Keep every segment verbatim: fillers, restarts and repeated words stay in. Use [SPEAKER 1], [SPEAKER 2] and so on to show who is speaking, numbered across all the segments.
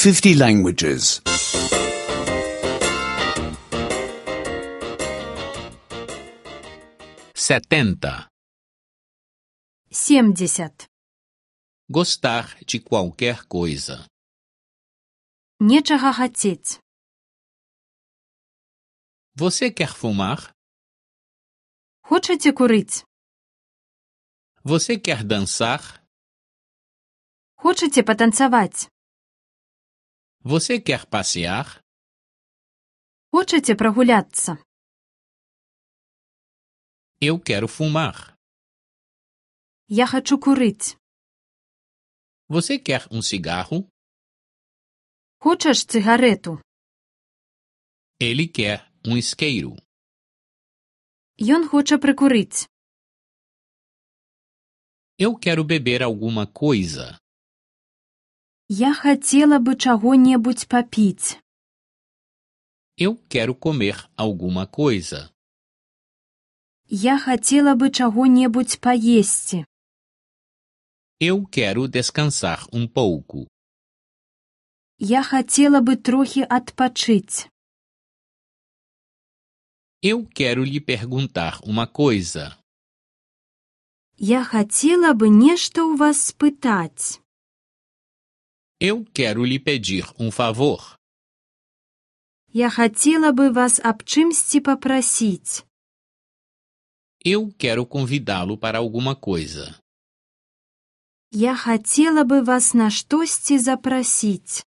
[SPEAKER 1] fifty languages.
[SPEAKER 2] Setenta.
[SPEAKER 3] Семьдесят.
[SPEAKER 2] Gostar de qualquer coisa.
[SPEAKER 3] Нечага хацець.
[SPEAKER 2] Você quer fumar?
[SPEAKER 3] Хочаце курыць?
[SPEAKER 2] Você quer dançar?
[SPEAKER 3] Хочаце патанцаваць?
[SPEAKER 2] Você quer passear?
[SPEAKER 3] Хочаце прагуляцца?
[SPEAKER 2] Eu quero fumar.
[SPEAKER 3] Я хачу курыць.
[SPEAKER 2] Você quer um cigarro?
[SPEAKER 3] Хочаш цыгарэту?
[SPEAKER 2] Ele quer um isqueiro.
[SPEAKER 3] Ён хоча прыкурыць.
[SPEAKER 2] Eu quero beber alguma coisa.
[SPEAKER 3] Я хацела бы чаго-небудзь папіць.
[SPEAKER 2] Eu quero comer alguma coisa.
[SPEAKER 3] Я хацела бы чаго-небудзь паесці.
[SPEAKER 2] Eu quero descansar um pouco.
[SPEAKER 3] Я хацела бы трохі адпачыць.
[SPEAKER 2] Eu quero lhe perguntar uma coisa.
[SPEAKER 3] Я хацела бы нешта ў вас спытаць.
[SPEAKER 2] Eu quero lhe pedir um favor.
[SPEAKER 3] Я хацела бы вас аб чымсьці папрасіць.
[SPEAKER 2] Eu quero convidá-lo para alguma coisa.
[SPEAKER 3] Я хацела бы вас на штосьці запрасіць.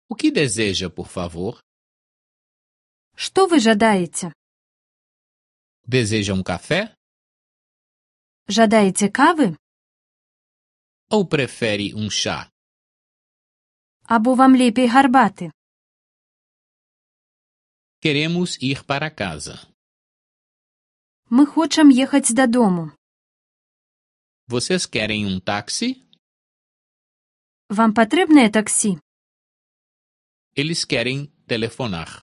[SPEAKER 2] O que deseja, por favor?
[SPEAKER 3] Што вы жадаеце?
[SPEAKER 2] Deseja um café?
[SPEAKER 3] Жадаеце кавы?
[SPEAKER 2] Ou prefere um chá?
[SPEAKER 3] Або вам лепей гарбаты?
[SPEAKER 2] Queremos ir para casa.
[SPEAKER 3] Мы хочам ехаць дадому.
[SPEAKER 2] Vocês querem um táxi?
[SPEAKER 3] Вам патрэбнае таксі?
[SPEAKER 2] Eles querem telefonar.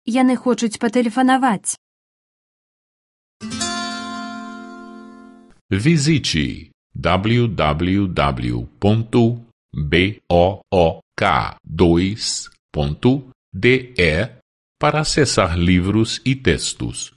[SPEAKER 3] Яны хочуць патэлефанаваць.
[SPEAKER 4] Visite w w w ponto book dois ponto de para acessar livros e textos.